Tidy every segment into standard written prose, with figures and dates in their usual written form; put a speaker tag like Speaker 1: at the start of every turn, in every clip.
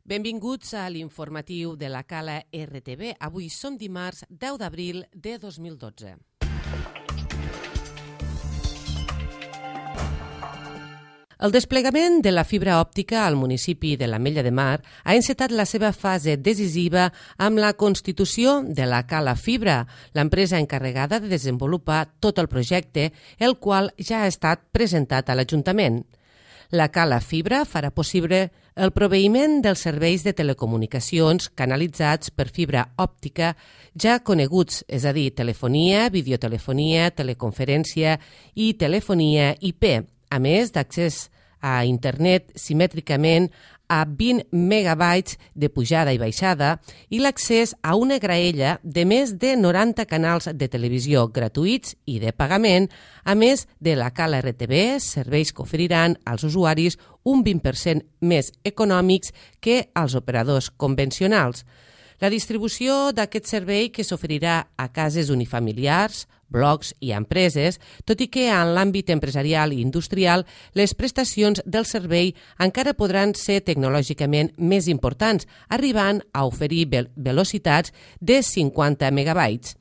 Speaker 1: Benvinguts a l'informatiu de la Cala RTV. Avui som dimarts 10 d'abril de 2012. El desplegament de la fibra òptica al municipi de l'Ametlla de Mar ha encetat la seva fase decisiva amb la constitució de la Cala Fibra, l'empresa encarregada de desenvolupar tot el projecte, el qual ja ha estat presentat a l'Ajuntament. La Cala Fibra farà possible el proveïment dels serveis de telecomunicacions canalitzats per fibra òptica ja coneguts, és a dir, telefonia, videotelefonia, teleconferència i telefonia IP, a més d'accés a internet simètricament a 20 megabytes de pujada i baixada i l'accés a una graella de més de 90 canals de televisió gratuïts i de pagament, a més de la Cala RTV, serveis que oferiran als usuaris un 20% més econòmics que als operadors convencionals. La distribució d'aquest servei que s'oferirà a cases unifamiliars, blocs i empreses, tot i que en l'àmbit empresarial i industrial les prestacions del servei encara podran ser tecnològicament més importants, arribant a oferir velocitats de 50 megabytes.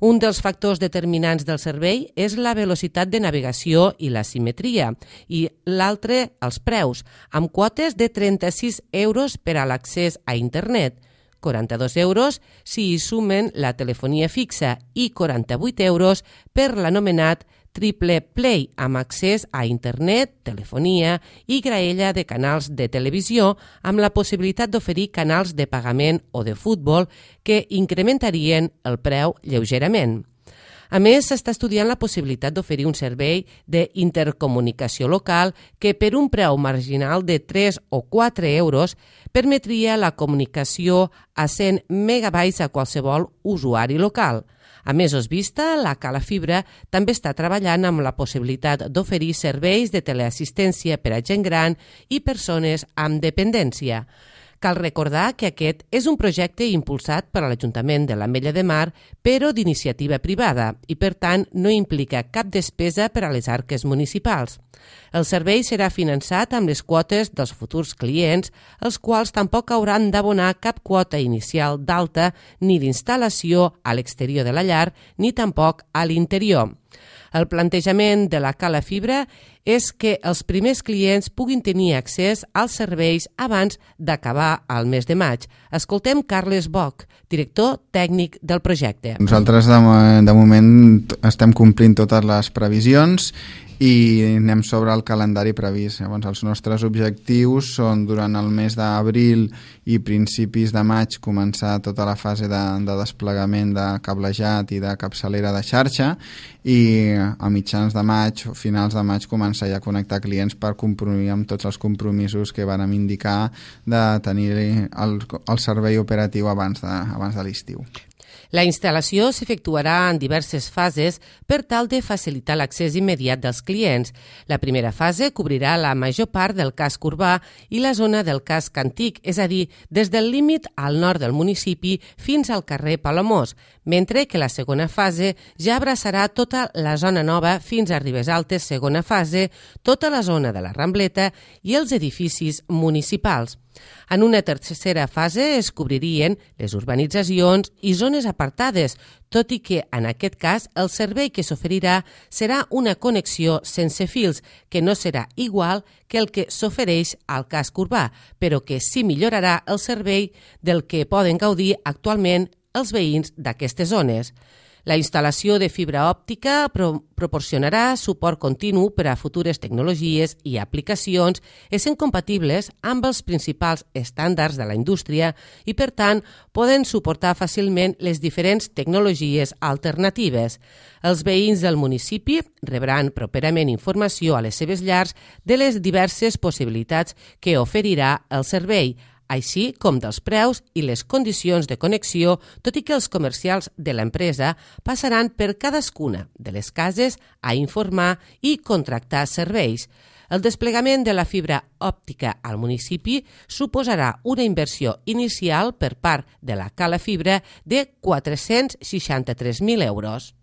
Speaker 1: Un dels factors determinants del servei és la velocitat de navegació i la simetria, i l'altre, els preus, amb quotes de 36 euros per a l'accés a internet, 42 euros si hi sumen la telefonia fixa i 48 euros per l'anomenat Triple Play, amb accés a internet, telefonia i graella de canals de televisió, amb la possibilitat d'oferir canals de pagament o de futbol que incrementarien el preu lleugerament. A més, s'està estudiant la possibilitat d'oferir un servei d'intercomunicació local que per un preu marginal de 3 o 4 euros permetria la comunicació a 100 megabytes a qualsevol usuari local. A mesos vista, la Cala Fibra també està treballant amb la possibilitat d'oferir serveis de teleassistència per a gent gran i persones amb dependència. Cal recordar que aquest és un projecte impulsat per l'Ajuntament de l'Ametlla de Mar, però d'iniciativa privada, i per tant no implica cap despesa per a les arques municipals. El servei serà finançat amb les quotes dels futurs clients, els quals tampoc hauran d'abonar cap quota inicial d'alta ni d'instal·lació a l'exterior de la llar, ni tampoc a l'interior. El plantejament de la Cala Fibra és que els primers clients puguin tenir accés als serveis abans d'acabar el mes de maig. Escoltem Carles Boch, director tècnic del projecte.
Speaker 2: Nosaltres de moment estem complint totes les previsions i anem sobre el calendari previst. Llavors, els nostres objectius són durant el mes d'abril i principis de maig començar tota la fase de desplegament de cablejat i de capçalera de xarxa i a mitjans de maig o finals de maig començar ja a connectar clients per complir amb tots els compromisos que vàrem indicar de tenir el servei operatiu abans de l'estiu.
Speaker 1: La instal·lació s'efectuarà en diverses fases per tal de facilitar l'accés immediat dels clients. La primera fase cobrirà la major part del casc urbà i la zona del casc antic, és a dir, des del límit al nord del municipi fins al carrer Palamós, mentre que la segona fase ja abraçarà tota la zona nova fins a Ribes Altes, segona fase, tota la zona de la Rambleta i els edificis municipals. En una tercera fase es cobririen les urbanitzacions i zones apartades, tot i que en aquest cas el servei que s'oferirà serà una connexió sense fils, que no serà igual que el que s'ofereix al casc urbà, però que sí millorarà el servei del que poden gaudir actualment els veïns d'aquestes zones. La instal·lació de fibra òptica proporcionarà suport continu per a futures tecnologies i aplicacions essent compatibles amb els principals estàndards de la indústria i, per tant, poden suportar fàcilment les diferents tecnologies alternatives. Els veïns del municipi rebran properament informació a les seves llars de les diverses possibilitats que oferirà el servei, així com dels preus i les condicions de connexió, tot i que els comercials de l'empresa passaran per cadascuna de les cases a informar i contractar serveis. El desplegament de la fibra òptica al municipi suposarà una inversió inicial per part de la Cala Fibra de 463.000 euros.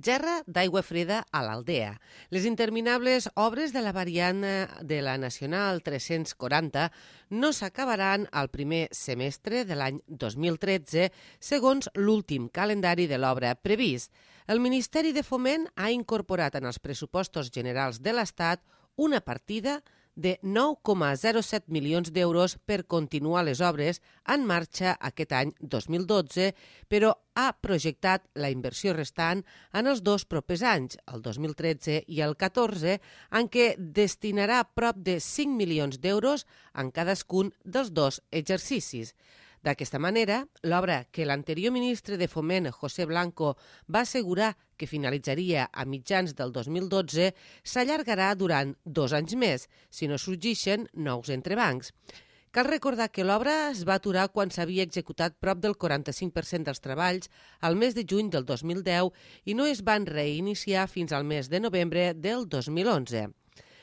Speaker 1: Gerra d'aigua freda a l'Aldea. Les interminables obres de la variant de la Nacional 340 no s'acabaran al primer semestre de l'any 2013, segons l'últim calendari de l'obra previst. El Ministeri de Foment ha incorporat en els pressupostos generals de l'Estat una partida de 9,07 milions d'euros per continuar les obres en marxa aquest any 2012, però ha projectat la inversió restant en els dos propers anys, el 2013 i el 14, en què destinarà prop de 5 milions d'euros en cadascun dels dos exercicis. D'aquesta manera, l'obra que l'anterior ministre de Foment, José Blanco, va assegurar que finalitzaria a mitjans del 2012, s'allargarà durant 2 anys més, si no sorgeixen nous entrebancs. Cal recordar que l'obra es va aturar quan s'havia executat prop del 45% dels treballs al mes de juny del 2010 i no es van reiniciar fins al mes de novembre del 2011.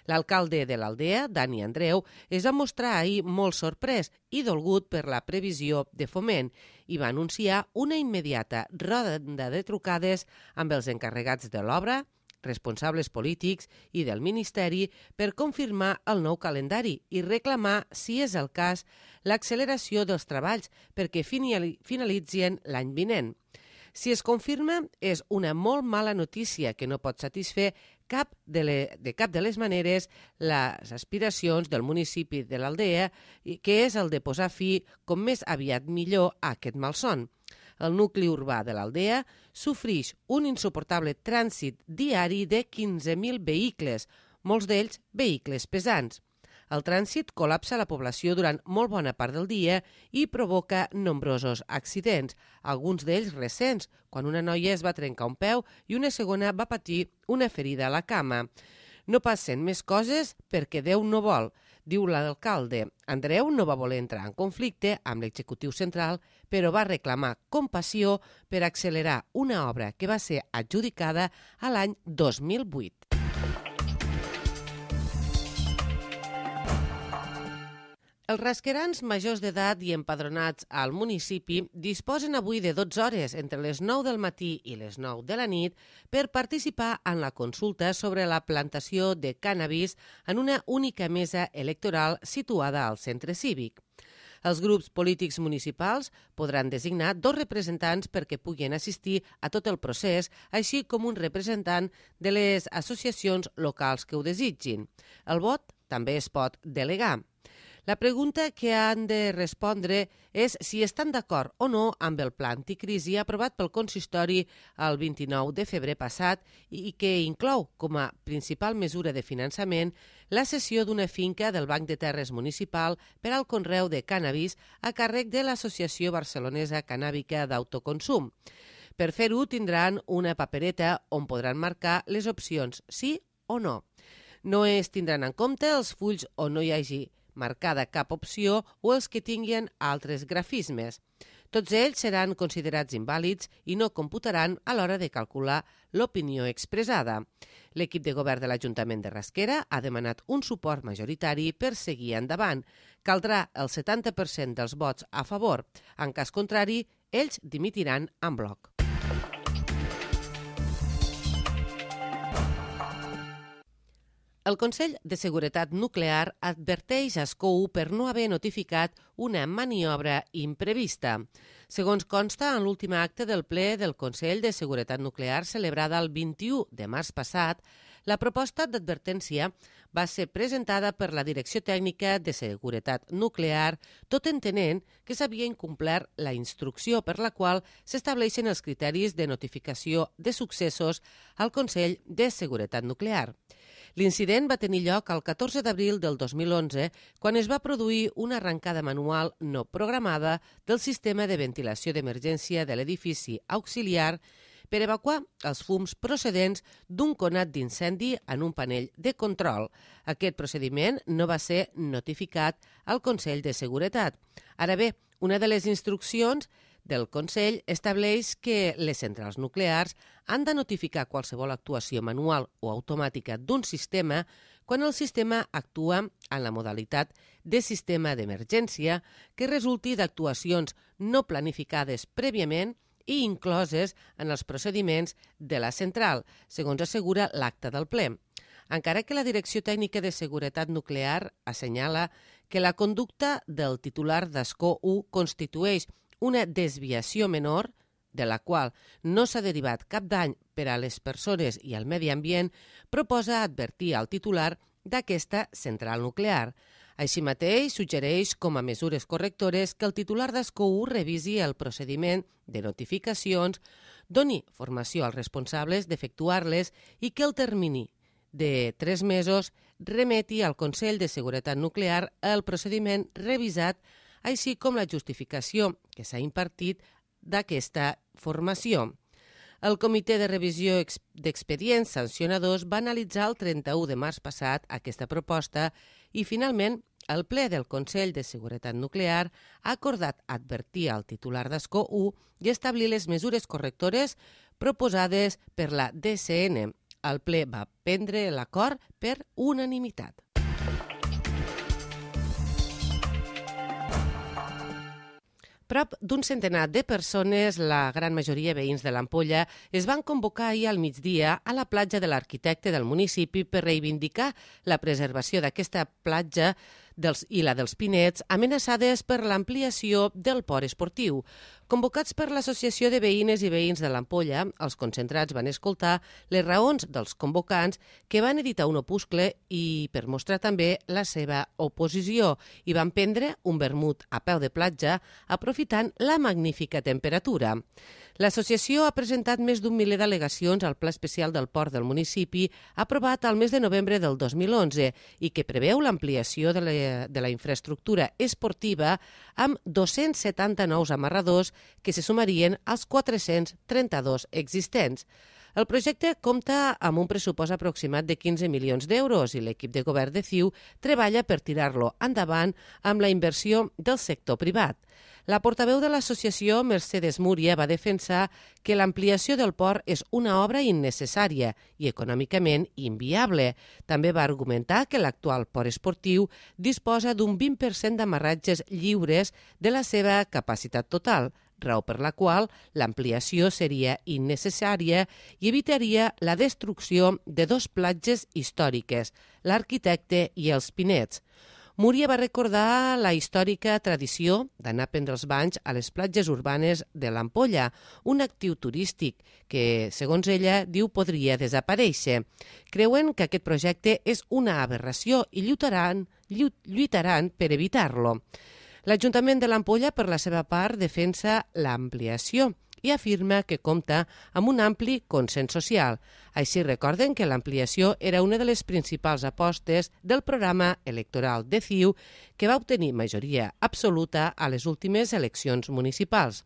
Speaker 1: L'alcalde de l'Aldea, Dani Andreu, es va mostrar ahir molt sorprès i dolgut per la previsió de Foment i va anunciar una immediata ronda de trucades amb els encarregats de l'obra, responsables polítics i del Ministeri per confirmar el nou calendari i reclamar, si és el cas, l'acceleració dels treballs perquè finalitzin l'any vinent. Si es confirma, és una molt mala notícia que no pot satisfer de cap de les maneres les aspiracions del municipi de l'Aldea, que és el de posar fi com més aviat millor a aquest malson. El nucli urbà de l'Aldea sofrix un insuportable trànsit diari de 15.000 vehicles, molts d'ells vehicles pesants. El trànsit col·lapsa la població durant molt bona part del dia i provoca nombrosos accidents, alguns d'ells recents, quan una noia es va trencar un peu i una segona va patir una ferida a la cama. No passen més coses perquè Déu no vol, diu l'alcalde. Andreu no va voler entrar en conflicte amb l'executiu central, però va reclamar compassió per accelerar una obra que va ser adjudicada a l'any 2008. Els rasquerans majors d'edat i empadronats al municipi disposen avui de 12 hores entre les 9 del matí i les 9 de la nit per participar en la consulta sobre la plantació de cànnabis en una única mesa electoral situada al centre cívic. Els grups polítics municipals podran designar 2 representants perquè puguin assistir a tot el procés, així com un representant de les associacions locals que ho desitgin. El vot també es pot delegar. La pregunta que han de respondre és si estan d'acord o no amb el pla anticrisi aprovat pel consistori el 29 de febrer passat i que inclou com a principal mesura de finançament la cessió d'una finca del Banc de Terres Municipal per al conreu de cànnabis a càrrec de l'Associació Barcelonesa Cannàbica d'Autoconsum. Per fer-ho tindran una papereta on podran marcar les opcions sí o no. No es tindran en compte els fulls on no hi hagi marcada cap opció o els que tinguin altres grafismes. Tots ells seran considerats invàlids i no computaran a l'hora de calcular l'opinió expressada. L'equip de govern de l'Ajuntament de Rasquera ha demanat un suport majoritari per seguir endavant. Caldrà el 70% dels vots a favor. En cas contrari, ells dimitiran en bloc. El Consell de Seguretat Nuclear adverteix a Ascou per no haver notificat una maniobra imprevista. Segons consta en l'últim acte del ple del Consell de Seguretat Nuclear celebrada el 21 de març passat, la proposta d'advertència va ser presentada per la Direcció Tècnica de Seguretat Nuclear, tot entenent que s'havia incomplert la instrucció per la qual s'estableixen els criteris de notificació de successos al Consell de Seguretat Nuclear. L'incident va tenir lloc el 14 d'abril del 2011, quan es va produir una arrencada manual no programada del sistema de ventilació d'emergència de l'edifici auxiliar per evacuar els fums procedents d'un conat d'incendi en un panell de control. Aquest procediment no va ser notificat al Consell de Seguretat. Ara bé, una de les instruccions del Consell estableix que les centrals nuclears han de notificar qualsevol actuació manual o automàtica d'un sistema quan el sistema actua en la modalitat de sistema d'emergència que resulti d'actuacions no planificades prèviament i incloses en els procediments de la central, segons assegura l'acta del ple. Encara que la Direcció Tècnica de Seguretat Nuclear assenyala que la conducta del titular d'Escó 1 constitueix una desviació menor, de la qual no s'ha derivat cap dany per a les persones i al medi ambient, proposa advertir al titular d'aquesta central nuclear. Així mateix, suggereix com a mesures correctores que el titular d'Escó 1 revisi el procediment de notificacions, doni formació als responsables d'efectuar-les i que el termini de 3 mesos remeti al Consell de Seguretat Nuclear el procediment revisat, així com la justificació que s'ha impartit d'aquesta formació. El Comitè de Revisió d'Expedients Sancionadors va analitzar el 31 de març passat aquesta proposta i, finalment, el ple del Consell de Seguretat Nuclear ha acordat advertir al titular d'Escó 1 i establir les mesures correctores proposades per la DCN. El ple va prendre l'acord per unanimitat. Prop d'un centenar de persones, la gran majoria veïns de l'Ampolla, es van convocar ahir al migdia a la platja de l'Arquitecte del municipi per reivindicar la preservació d'aquesta platja i la dels Pinets, amenaçades per l'ampliació del port esportiu. Convocats per l'Associació de Veïnes i Veïns de l'Ampolla, els concentrats van escoltar les raons dels convocants, que van editar un opuscle i per mostrar també la seva oposició, i van prendre un vermut a peu de platja, aprofitant la magnífica temperatura. L'associació ha presentat més d'un miler d'al·legacions al Pla Especial del Port del municipi, aprovat al mes de novembre del 2011, i que preveu l'ampliació de la infraestructura esportiva amb 279 amarradors que se sumarien als 432 existents. El projecte compta amb un pressupost aproximat de 15 milions d'euros i l'equip de govern de CiU treballa per tirar-lo endavant amb la inversió del sector privat. La portaveu de l'associació, Mercedes Múria, va defensar que l'ampliació del port és una obra innecessària i econòmicament inviable. També va argumentar que l'actual port esportiu disposa d'un 20% d'amarratges lliures de la seva capacitat total, raó per la qual l'ampliació seria innecessària i evitaria la destrucció de 2 platges històriques, l'Arquitecte i els Pinets. Múria va recordar la històrica tradició d'anar a prendre els banys a les platges urbanes de l'Ampolla, un actiu turístic que, segons ella, diu podria desaparèixer. Creuen que aquest projecte és una aberració i lluitaran per evitar-lo. L'Ajuntament de l'Ampolla, per la seva part, defensa l'ampliació i afirma que compta amb un ampli consens social. Així recorden que l'ampliació era una de les principals apostes del programa electoral de CiU, que va obtenir majoria absoluta a les últimes eleccions municipals.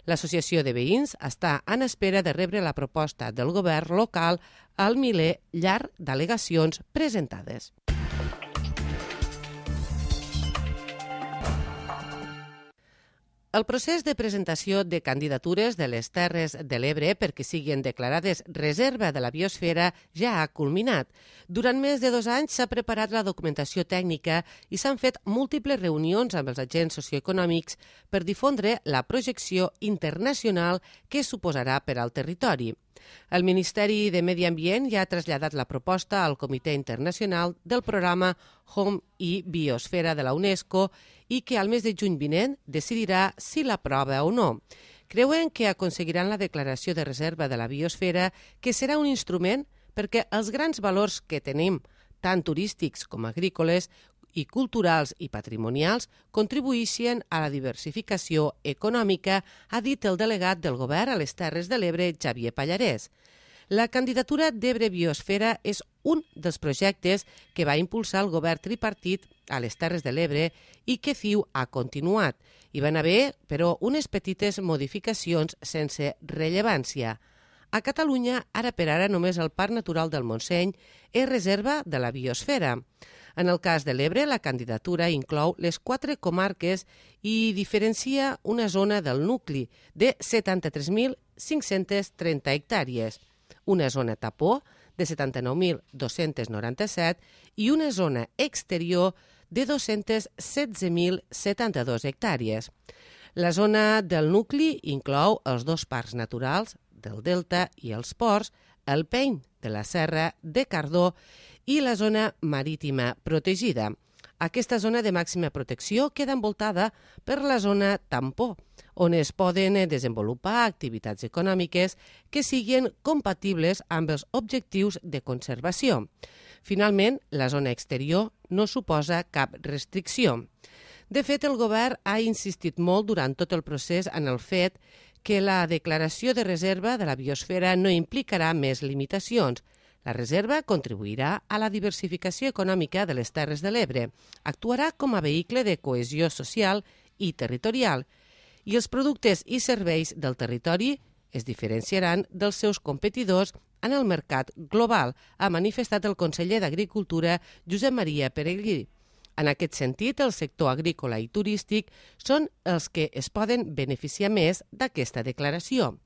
Speaker 1: L'Associació de Veïns està en espera de rebre la proposta del govern local al miler llarg d'al·legacions presentades. El procés de presentació de candidatures de les Terres de l'Ebre perquè siguin declarades reserva de la biosfera ja ha culminat. Durant més de 2 anys s'ha preparat la documentació tècnica i s'han fet múltiples reunions amb els agents socioeconòmics per difondre la projecció internacional que suposarà per al territori. El Ministeri de Medi Ambient ja ha traslladat la proposta al Comitè Internacional del programa Home i Biosfera de la UNESCO i que al mes de juny vinent decidirà si l'aprova o no. Creuen que aconseguiran la declaració de reserva de la biosfera, que serà un instrument perquè els grans valors que tenim, tant turístics com agrícoles, i culturals i patrimonials contribuïssin a la diversificació econòmica, ha dit el delegat del govern a les Terres de l'Ebre, Xavier Pallarès. La candidatura d'Ebre Biosfera és un dels projectes que va impulsar el govern tripartit a les Terres de l'Ebre i que CiU ha continuat. Hi van haver, però, unes petites modificacions sense rellevància. A Catalunya, ara per ara, només el Parc Natural del Montseny és reserva de la biosfera. En el cas de l'Ebre, la candidatura inclou les 4 comarques i diferencia una zona del nucli de 73.530 hectàrees, una zona tapó de 79.297 i una zona exterior de 216.072 hectàrees. La zona del nucli inclou els dos parcs naturals del Delta i els ports, el Peny de la Serra de Cardó i la zona marítima protegida. Aquesta zona de màxima protecció queda envoltada per la zona tampó, on es poden desenvolupar activitats econòmiques que siguin compatibles amb els objectius de conservació. Finalment, la zona exterior no suposa cap restricció. De fet, el govern ha insistit molt durant tot el procés en el fet que la declaració de reserva de la biosfera no implicarà més limitacions. La reserva contribuirà a la diversificació econòmica de les Terres de l'Ebre, actuarà com a vehicle de cohesió social i territorial, i els productes i serveis del territori es diferenciaran dels seus competidors en el mercat global, ha manifestat el conseller d'Agricultura Josep Maria Peregrí. En aquest sentit, el sector agrícola i turístic són els que es poden beneficiar més d'aquesta declaració.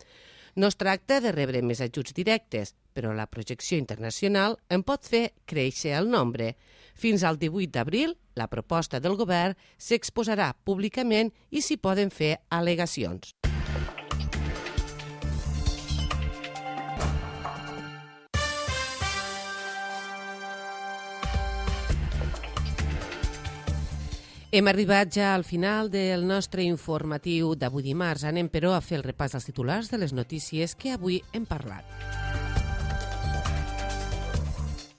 Speaker 1: No es tracta de rebre més ajuts directes, però la projecció internacional en pot fer créixer el nombre. Fins al 18 d'abril, la proposta del govern s'exposarà públicament i s'hi poden fer al·legacions. Hem arribat ja al final del nostre informatiu d'avui dimarts. Anem, però, a fer el repàs als titulars de les notícies que avui hem parlat.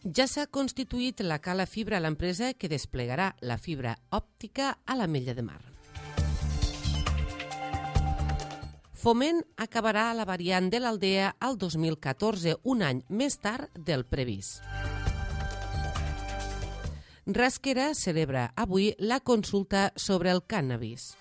Speaker 1: Ja s'ha constituït la Cala Fibra, l'empresa que desplegarà la fibra òptica a l'Ametlla de Mar. Foment acabarà la variant de l'Aldea al 2014, un any més tard del previst. Rasquera celebra avui la consulta sobre el cànnabis.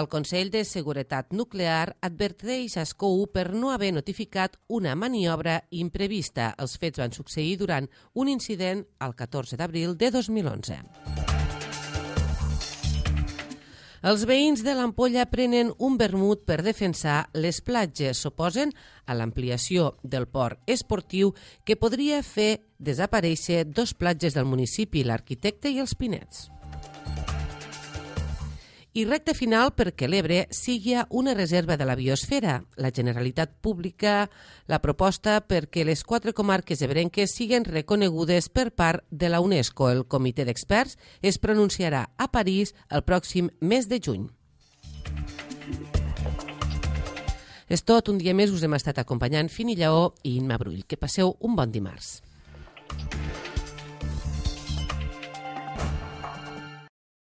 Speaker 1: El Consell de Seguretat Nuclear adverteix a SCOU per no haver notificat una maniobra imprevista. Els fets van succeir durant un incident el 14 d'abril de 2011. Els veïns de l'Ampolla prenen un vermut per defensar les platges. S'oposen a l'ampliació del port esportiu que podria fer desaparèixer dos platges del municipi, l'Arquitecte i els Pinets. I recte final perquè l'Ebre sigui una reserva de la biosfera. La Generalitat publica la proposta perquè les 4 comarques ebrenques siguin reconegudes per part de la UNESCO. El comitè d'experts es pronunciarà a París el pròxim mes de juny. És tot, un dia més us hem estat acompanyant Fini Lleó i Imma Brull. Que passeu un bon dimarts.